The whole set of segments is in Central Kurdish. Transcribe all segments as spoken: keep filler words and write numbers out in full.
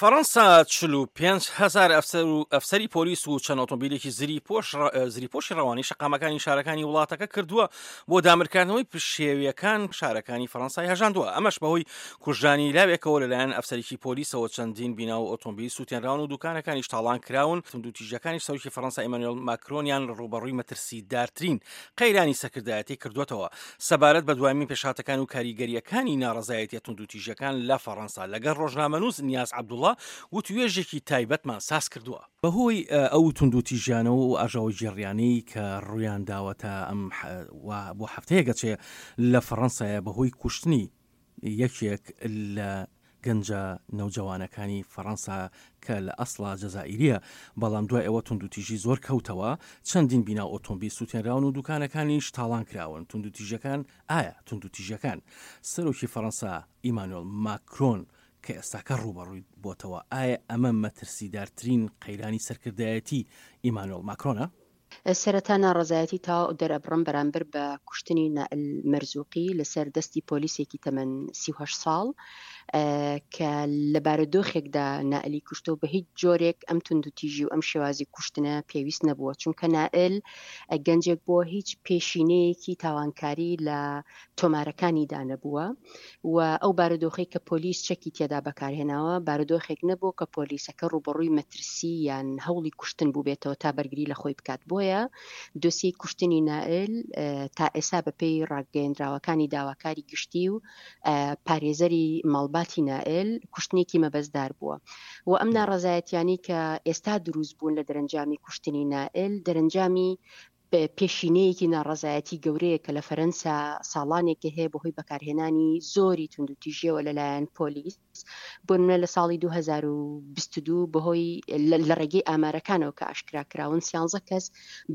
فەڕەنسا چل و پێنج هەزار ئەفسەر و ئەفسەری پۆلیس و چەند ئۆتۆمبیلێکی زریپۆش زریپۆشی ڕەوانەی شەقامەکانی شارەکانی وڵاتەکە کردووە بۆ دامرکاندنەوەی پشێویەکان شارەکانی فەڕەنسای هەژاندووە، ئەمەش بەهۆی کوژرانی لاوێکەوە لەلایەن ئەفسەرێکی پۆلیسەوە چەندین بینا و ئۆتۆمبیل سووتێنراون و دوکانەکانیش تاڵان کراون. توندوتیژیەکانیش سەرۆکی فەڕەنسا ئیمانوێل ماکرۆنیان ڕووبەڕووی مەترسیدارترین قەیرانی سەرکردایەتی کردووەتەوە. سەبارەت بە دوایین پێشهاتەکان و کاریگەرییەکانی ناڕەزایەتیە توندوتیژیەکان لە فەڕەنسا لەگەڵ ڕۆژنامەنووس نیاز عەبدوڵا وتوێژێکی تایبەتمان ساز کردووە. بەهۆی ئەو توندوتیژیانە و ئاژاوەگێڕیانەی کە ڕوویان داوە تا ئەم وا بۆ هەفتەیەک ئەچێ لە فەڕەنسایە بەهۆی کوشتنی یەکێک لە گەنجە نەوجەوانەکانی فەڕەنسا کە لە ئەسڵا جەزائیریە، بەڵام دوای ئەوە توندوتیژی زۆر کەوتەوە، چەندین بینا و ئۆتۆمبیل سوتێنراون و دوکانەکانیش تاڵان کراون. توندوتیژیەکان ئایا توندوتیژیەکان سەرۆکی فەڕەنسا ئیمانوێڵ ماکرۆن کە ئێستاکە ڕووبەڕووی بۆتەوە، ئایا ئەمە مەترسیدارترین قەیرانی سەرکردایەتی ئیمانوێڵ ماکرۆنە؟ سەرەتا ناڕەزایەتی تەواو دەرئەبڕم بەرامبەر بە کوشتنی نائل مەرزوقی لەسەر دەستی پۆلیسێکی تەمەن سی و هەشت ساڵ کە لە بارودۆخێکدا نائلی کوشتەوە بە هیچ جۆرێک ئەم توندوتیژی و ئەم شێوازی کوشتنە پێویست نەبووە، چونکە نائل گەنجێک بووە هیچ پێشینەیەکی تاوانکاری لە تۆمارەکانیدا نەبووە و ئەو بارودۆخەی کە پۆلیس چەکی تێدا بەکارهێناوە بارودۆخێک نەبوو کە پۆلیسەکە ڕووبەڕووی مەترسی یان هەوڵی کوشتن بووبێتەوە تا بەرگری لە خۆی بکات. بۆیە دۆسیەی کوشتنی نائل تا ئێستا بەپێی ڕاگەیەندراوەکانی داواکاری گشتی و پارێزەری ماڵباتی نائل کوشتنێکی مەبەستدار بووە و ئەم ناڕەزایەتیانی کە ئێستا دروست بوون لە دەرەنجامی کوشتنی نائل دەرەنجامی پێشینەیەکی ناڕەزایەتی گەورەیە کە لە فەرەنسا ساڵانێکە هەیە بەهۆی بەکارهێنانی زۆری توندوتیژیەوە لەلایەن پۆلیس. بۆ نمونە لە ساڵی دوو هەزار و بیست و دوو بەهۆی لە ڕێگەی ئامارەکانەوە کە ئاشکرا کراون سیانزە کەس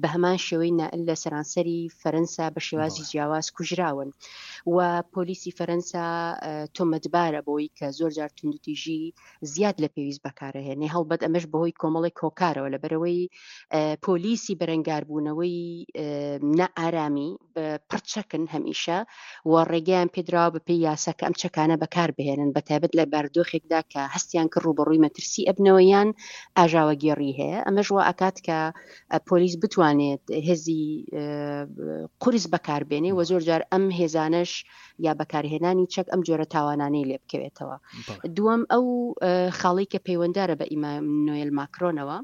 بە هەمان شێوەی نائل لە سەرانسەری فەرەنسا بە شێوازی جیاواز کوژراون و پۆلیسی فەرەنسا تۆمەتبارە بۆی کە زۆر جار توندوتیژی زیاد لە پێویست بەکارهێنێ. هەڵبەت ئەمەش بەهۆی کۆمەڵێک هۆکارەوە، لەبەرەوەی پۆلیسی بەرەنگاربوونەوەی نائارامی پڕچەکن هەمیشە و ڕێگەیان پێدراوە بە پێی یاسا کە ئەم چەکانە بەکار بهێنن، بە تایبەت لە بارودۆخێکدا کە هەستیان کرد ڕووبەڕووی مەترسی ئەبنەوە یان ئاژاوەگێڕی هەیە. ئەمەش وا ئەکات کە پۆلیس بتوانێت هێزی قورس بەکاربێنێ و زۆر جار ئەم هێزانەش یا بەکارهێنانی چەک ئەم جۆرە تاوانانەی لێ بکەوێتەوە. دووەم ئەو خاڵی کە پەیوەندارە بە ئیمانوێل ماکرۆنەوە،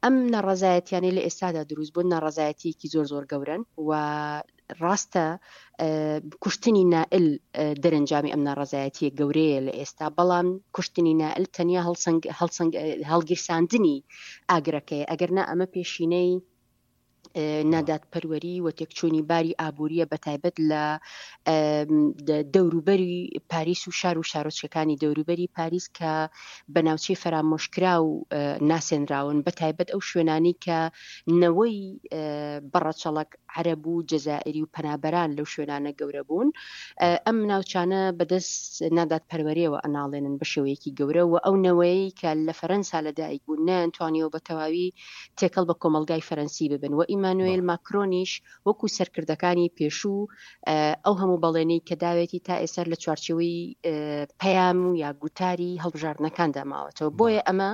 ئەم ناڕەزایەتیانەی لە ئێستادا دروست بوون ناڕەزایەتیەکی زۆر زۆر گەورەن و ڕاستە کوشتنی نائل دەرەنجامی ئەم ناڕەزایەتیە گەورەیە لە ئێستا، بەڵام کوشتنی نائل تەنیا هەڵسەنگ، هەڵسەنگ، هەڵگیرساندنی ئاگرەکەیە، ئەگەر نا ئەمە پێشینەی نادادپەروەری و تێکچوونی باری ئابووریە بە تایبەت لە دەوروبەری پاریس و شار و شارۆچکەکانی دەوروبەری پاریس کە بە ناوچەی فەرامۆشکرا و ناسێنراون، بە تایبەت ئەو شوێنانی کە نەوەی بەڕەچەڵەک عەرەب و جەزائیری و پەنابەران لەو شوێنانە گەورە بوون. ئەم ناوچانە بەدەست نادادپەروەریەوە ئەناڵێنن بە شێوەیەکی گەورە و ئەو نەوەیەی کە لە فەرەنسا لەدایک بوون نەیانتوانیەوە بە تەواوی تێکەڵ بە کۆمەڵگای فەرەنسی ببن و ئیمانوێل ماکرۆنیش وەکو سەرکردەکانی پێشوو ئەو هەموو بەڵێنەی کە داوێتی تا ئێستا لە چوارچێوەی پەیام و یا گوتاری هەڵبژاردنەکاندا ماوەتەوە. بۆیە ئەمە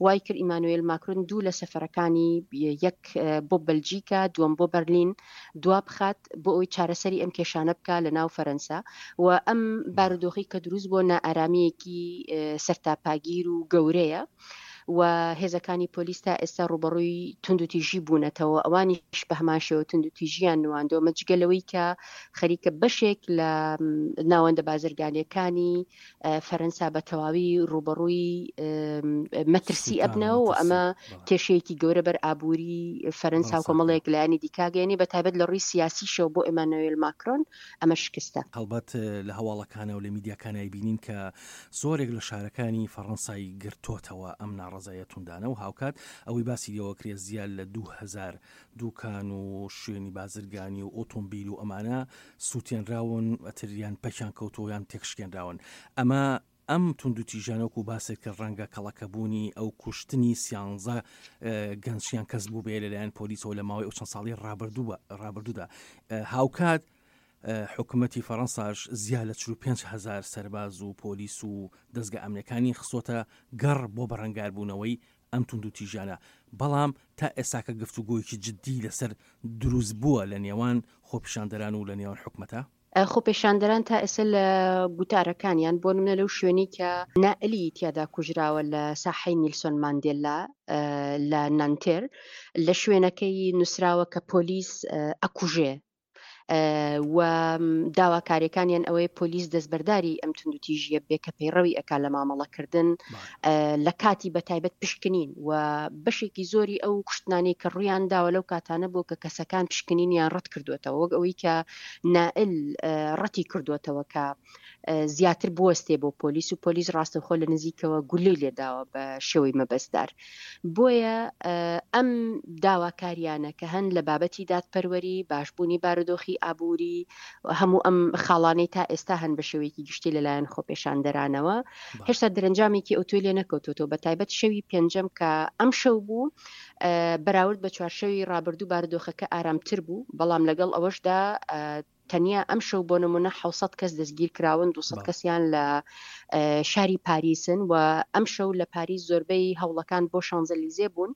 وای کرد ئیمانوێل ماکرۆن دوو لە سەفەرەکانی یەک بۆ بەلجیکا دووەم بۆ بەرلین دوا بخات بۆ ئەوەی چارەسەری ئەم کێشانە بکا لە ناو فەرەنسا و ئەم بارودۆخی کە دروست بۆ نائارامیەکی سەرتاپاگیر و گەورەیە و هێزەکانی پۆلیس تا ئێستا ڕووبەڕووی توندوتیژی بوونەتەوە، ئەوانیش بە هەمان شێوە توندوتیژیان نواندەوە، مەجگە لەوەی کە خەریکە بەشێک لە ناوەندە بازرگانیەکانی فەرەنسا بە تەواوی ڕووبەڕووی مەترسی ئەبنەوە و ئەمە کێشەیەکی گەورە بەر ئابووری فەرەنسا و کۆمەڵێک لایەنی دیکاگەیەنی، بە تایبەت لە ڕووی سیاسیشەوە بۆ ئێمانوێل ماکرۆن ئەمە شکستە. هەڵبەت لە هەواڵەکانە و لە میدیاکانە بینین کە زۆرێک لە شارەکانی فەڕەنسای گرتۆتەوە ئەم ناڕەزایە توندانە و هاوکات ئەوەی باسی لێوە کرێ زیاد لە دوو هەزار دوکان و شوێنی بازرگانی و ئۆتۆمبیل و ئەمانە سووتێنراون، ئەتریان پەکیان کەوتەوە یان تێکشکێنراون. ئەمە ئەم توندوتیژانە وەکو باسێک کرد ڕەنگە کەڵەکەبوونی ئەو کوشتنی سیانزە گەنجیان کەس بوو بێ لەلایەن پۆلیسەوە لە ماوەی ئەو چەند ساڵی ڕابردوو ڕابردوودا. هاوکات حکومەتی فەرەنساش زیا لە چل و پێنج هەزار سەرباز و پۆلیس و دەزگا ئەمنیەکانی خستۆتە گەڕ بۆ بەرەنگاربوونەوەی ئەم توندوتیژیانە، بەڵام تا ئێستاکە گفتوگۆیەکی جددی لەسەر دروست بووە لە نێوان خۆپیشاندەران و لە نێوان حکومەتە؟ خۆپێشاندەران تا ئێستا لە گوتارەکانیان بۆ نمونە لەو شوێنەی کە نائلی تیادا کوژراوە لە ساحەی نیلسۆن ماندێلا لە نانتێر لە شوێنەکەی نووسراوە کە پۆلیس ئەکوژێ و داواکاریەکانیان ئەوەیە پۆلیس دەستبەرداری ئەم توندوتیژیە بێ کە پەیڕەوی ئەکا لە مامەڵەکردن لە کاتی بە تایبەت پشکنین و بەشێکی زۆری ئەو کوشتنانەی کە ڕوویان داوە لەو کاتانە بوو کە کەسەکان پشکنینیان ڕەت کردوێتەوە، وەک ئەوەی کە نائل ڕەتی کردوێتەوە کە زیاتر بوەستێ بۆ پۆلیس و پۆلیس ڕاستەوخۆ لە نزیکەوە گولەی لێداوە بە شێوەی مەبەستدار. بۆیە ئەم داواکاریانە کە هەن لە بابەتی دادپەروەری، باشبوونی بارودۆخی ئابووری، هەموو ئەم خاڵانەی تا ئێستا هەن بە شێوەیەکی گشتی لەلایەن خۆپێشاندەرانەوە هێشتا دەرەنجامێکی ئەوتۆی لێ نەکەوتووەتەوە. بە تایبەت شەوی پێنجەم کە ئەم شەو بوو بەراورد بە چوارشەوی ڕابردوو بارودۆخەکە ئارامتر بوو، بەڵام لەگەڵ ئەوەشدا تەنیا ئەم شەو بۆ نمونە حەوت سەد کەس دەستگیر کراون، دوو سەد کەسیان لە شاری پاریسن و ئەم شەو لە پاریس زۆربەی هەوڵەکان بۆ شانزەلیزێ بوون،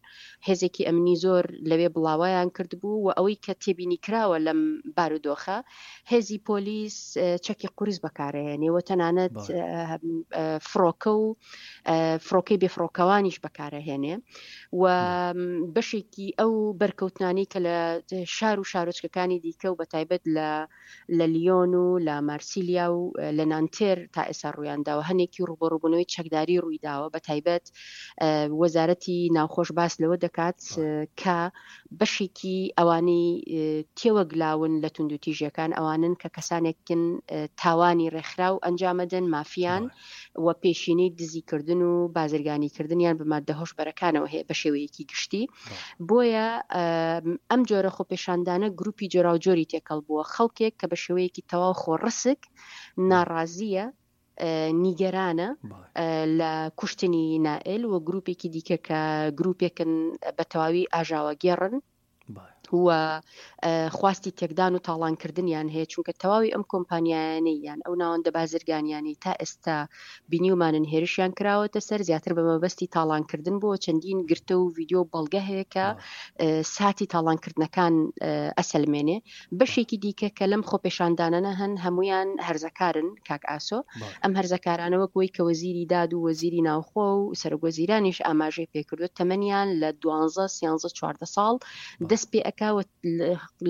هێزێکی ئەمنی زۆر لەوێ بڵاوەیان کردبوو و ئەوەی کە تێبینی کراوە لەم بارودۆخە هێزی پۆلیس چەکی قورس بەکارهێنێ و تەنانەت فڕۆکە و فڕۆکەی بێفڕۆکەوانیش بەکارهێنێ و بەشێکی ئەو بەرکەوتنانەی کە لە شار و شارۆچکەکانی دیکە و بە تایبەت لە لە لیۆن و لە مارسیلیا و لە نانتێر تا ئێستا ڕوویانداوە، هەنێکی ڕوبەڕووبوونەوەی چەکداری ڕوویداوە. بە تایبەت وەزارەتی ناوخۆش باس لەوە دەکات کە بەشێکی ئەوانەی تێوەگلاون لە توندوتیژیەکان ئەوانن کە کەسانێکن تاوانی ڕێکخراو ئەنجامەدەن، مافیان و پێشینەی دزیکردن و بازرگانیکردنیان بە مادە هۆشبەرەکانەوە هەیە بە شێوەیەکی گشتی. بۆیە ئەم جۆرە خۆپێشاندانە گروپی جۆراوجۆری تێکەڵ بووە، خەڵکێک کە بە شێوەیەکی تەواو خۆڕسک ناڕازیە، نیگەرانە لە کوشتنی نائل و گروپێکی دیکە کە گروپێکن بە تەواوی ئاژاوەگێڕن و خواستی تێکدان و تاڵانکردنیان هەیە، چونکە تەواوی ئەم کۆمپانیایانەی یان ئەو ناوەندە بازرگانیانەی تا ئێستا بینیومانن هێرشیان کراوەتە سەر زیاتر بە مەبەستی تاڵانکردن بۆ چەندین گرتە و ڤیدیۆ بەڵگە هەیە کە ساتی تاڵانکردنەکان ئەسەلمێنێ. بەشێکی دیکە کە لەم خۆپێشاندانانە هەن هەمویان هەرزەکارن کاک ئاسۆ. ئەم هەرزەکارانە وەک وەی کە وەزیری داد و وەزیری ناوخۆ و سەرۆک وەزیرانیش ئاماژەی پێکردووە تەمەنیان لە دوانزە سیانزە چواردە ساڵ دەست پێ ئەکا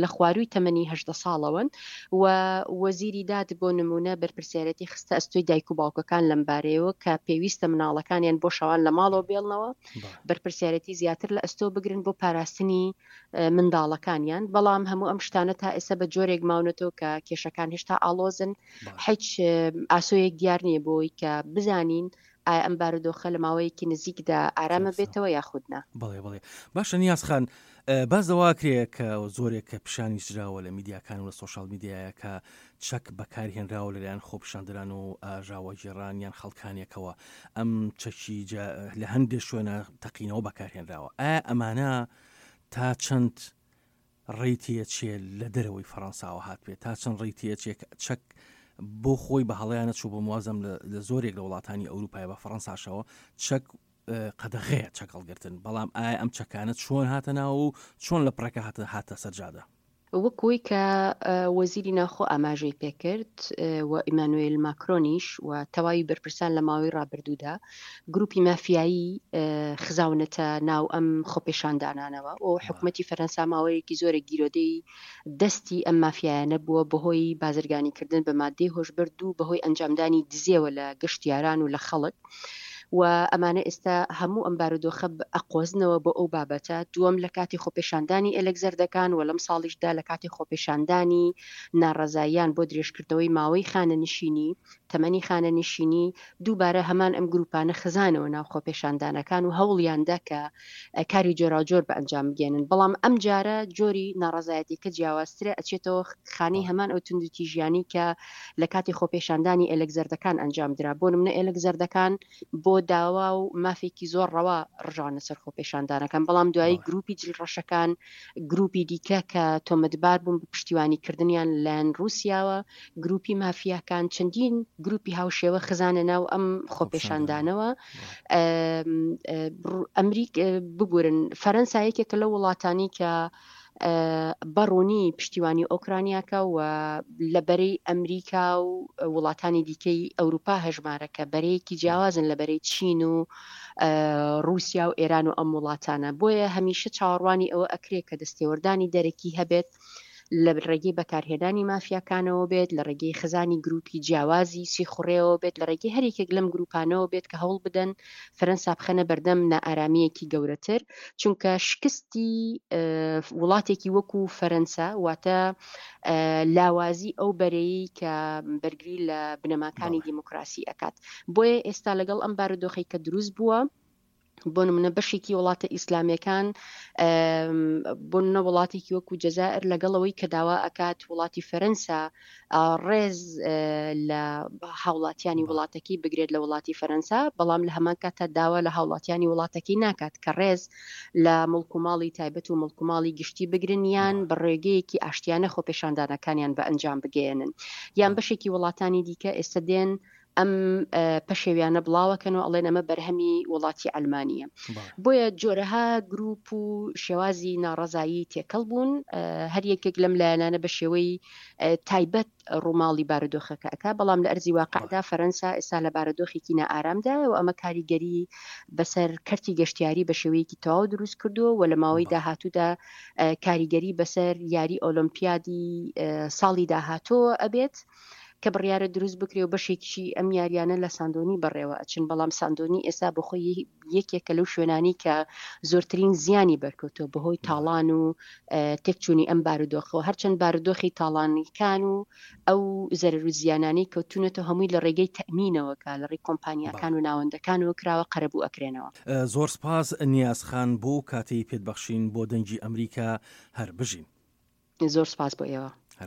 لە خواروی تەمەنی هەژدە ساڵەوەن و وەزیری داد بۆ نمونە بەرپرسیارەتی خستە ئەستۆی دایک و باوکەکان لەم بارەیەوە کە پێویستە مناڵەکانیان بۆ شەوان لە ماڵەوە بێڵنەوە، بەرپرسیارەتی زیاتر لە ئەستۆ بگرن بۆ پاراستنی منداڵەکانیان. بەڵام هەموو ئەم شتانە تا ئێستا بە جۆرێک ماونەتەوە کە کێشەکان هێشتا ئاڵۆزن، هیچ ئاسۆیەک دیار نییە بۆی کە بزانین ئایا ئەم بارودۆخە لە ماوەیەکی نزیکدا ئارامە بێتەوە یاخود نا. بەڵێ بەڵێ باشە نیاز خان، باز دەواکرێ کە زۆرێک کە پیشانی ژراوە لە میدیاکان و لە سۆشال میدیایە کە چەک بەکارهێنراوە لەلایەن خۆپیشاندەران و ئاژاوەگێڕان یان خەڵکانێکەوە، ئەم چەکی لە هەندێک شوێنە تەقینەوە بەکارهێنراوە، ئایا ئەمانە تا چەند ڕێی تێچێ لە دەرەوەی فەڕەنساوە هات بێت، تا چەند ڕێی تێچێ چەک بۆ خۆی بە هەڵەیانە چوو بۆ موازم لە زۆرێک لە وڵاتانی ئەوروپای بە فەڕەنساشەوە چەک قەدەغەیە چەک هەڵگرتن، بەڵام ئایا ئەم چەکانە چۆن هاتە ناو و چۆن لە پڕەکە هاتە هاتە سەرجادە؟ وەکوی کە وەزیری ناوخۆ ئاماژەی پێکرد و ئیمانوێل ماکرۆنیش و تەواوی بەرپرسان لە ماوەی ڕابردوودا گروپی مافیایی خزاونەتە ناو ئەم خۆپێشاندانانەوە و حکوومەتی فەرەنسا ماوەیەکی زۆرە گیرۆدەی دەستی ئەم مافیایانە بووە بەهۆی بازرگانیکردن بە مادەی هۆشبرد و بەهۆی ئەنجامدانی دزێوە لە گەشتیاران و لە خەڵک و ئەمانە ئێستا هەموو ئەم بارودۆخە ئەقۆزنەوە بۆ ئەو بابەتە. دووەم لە کاتی خۆپێشاندانی ئێلێک زەردەکان و لەم ساڵیشدا لە کاتی خۆپێشاندانی ناڕەزاییان بۆ درێژکردنەوەی ماوەی خانەنشینی تەمەنی خانەنشینی دووبارە هەمان ئەم گروپانە خزانەوە ناو خۆپێشاندانەکان و هەوڵیاندا کە کاری جۆراوجۆر بە ئەنجام بگەێنن، بەڵام ئەم جارە جۆری ناڕەزایەتیەکە جیاوازترە، ئەچێتەوە خانەی هەمان ئەو توندوتیژیانی کە لە کاتی خۆپێشاندانی ئێلێک زەردەکان ئەنجام درا. بۆ نمونە ئێلێک زەردەکان بۆ داوا و مافێکی زۆر ڕەوا ڕژانە سەر خۆپێشاندانەکان، بەڵام دوایی گروپی جلڕەشەکان، گروپی دیکە کە تۆمەتبار بوون بە پشتیوانیکردنیان لەلایەن ڕووسیاوە، گروپی مافیاکان، چەندین گروپی هاوشێوە خزانە ناو ئەم خۆپێشاندانەوە. ئەمریک ببورن فەرەنسا یەکێکە لەو وڵاتانی کە بەڕوونی پشتیوانی ئۆکرانیاکە و لە بەرەی ئەمریکا و وڵاتانی دیکەی ئەوروپا هەژمارە کە بەرەیەکی جیاوازن لە بەرەی چین و ڕووسیا و ئێران و ئەم وڵاتانە. بۆیە هەمیشە چاوەڕوانی ئەوە ئەکرێ کە دەستێوەردانی دەرەکی هەبێت لە ڕێگەی بەکارهێنانی مافیاکانەوە بێت، لە ڕێگەی خزانی گروپی جیاوازی سیخوڕێەوە بێت، لە ڕێگەی هەر یەکێک لەم گروپانەوە بێت کە هەوڵ بدەن فەرەنسا بخەنە بەردەم نائارامییەکی گەورەتر. چونکە شکستی وڵاتێکی وەکو فەرەنسا واتە لاوازی ئەو بەرەیەی کە بەرگری لە بنەماکانی دیموکراسی ئەکات. بۆیە ئێستا لەگەڵ ئەم بارودۆخەی کە دروست بووە، بۆ نمونە بەشێکی وڵاتە ئیسلامیەکان، بۆ نمونە وڵاتێکی وەکو جەزائر لەگەڵ ئەوەی کە داوا ئەکات وڵاتی فەرەنسا ڕێز لە هاوڵاتیانی وڵاتەکەی بگرێت لە وڵاتی فەرەنسا، بەڵام لە هەمان کاتدا داوا لە هاوڵاتیانی وڵاتەکەی ناکات کە ڕێز لە مڵک و ماڵی تایبەت و مڵک و ماڵی گشتی بگرن یان بە ڕێگەیەکی ئاشتیانە خۆپێشاندانەکانیان بە ئەنجام بگەیەنن. یان بەشێکی وڵاتانی دیکە ئێستا دێن ئەم پەشێویانە بڵاوەکەن و ئەڵێن ئەمە بەرهەمی وڵاتی ئەلمانیە. بۆیە جۆرەها گروپ و شێوازی ناڕەزایی تێکەڵ بوون، هەر یەکێک لەم لایەنانە بە شێوەی تایبەت ڕووماڵی بارودۆخەکە ئەکا، بەڵام لە ئەرزی واقعدا فەرەنسا ئێستا لە بارودۆخێکی نائارامدایە و ئەمە کاریگەری بەسەر کەرتی گەشتیاری بە شێوەیەکی تەواو دروست کردووە و لە ماوەی داهاتوودا کاریگەری بەسەر یاری ئۆلۆمپیادی ساڵی داهاتووە ئەبێت کە بڕیارە دروست بکرێ و بەشێکی ئەم یاریانە لە ساندۆنی بەڕێوە ئەچن. بەڵام ساندۆنی ئێستا بەخۆی یەکێکە لەو شوێنانی کە زۆرترین زیانی بەرکەوتووە بەهۆی تاڵان و تێکچوونی ئەم بارودۆخەوە. هەرچەند بارودۆخی تاڵانیکان و ئەو زەرەر و زیانانەی کەوتونەتەوە هەمووی لە ڕێگەی تەئمینەوە کە لە ڕێی کۆمپانیاکان و ناوەندەکانەوە کراوە قەرەبوو ئەکرێنەوە. زۆر سپاس نیاز خان بۆ کاتەی پێت بەخشین بۆ دەنگی ئەمریکا. هەر بژین. زۆر سپاس بۆ ئێوە.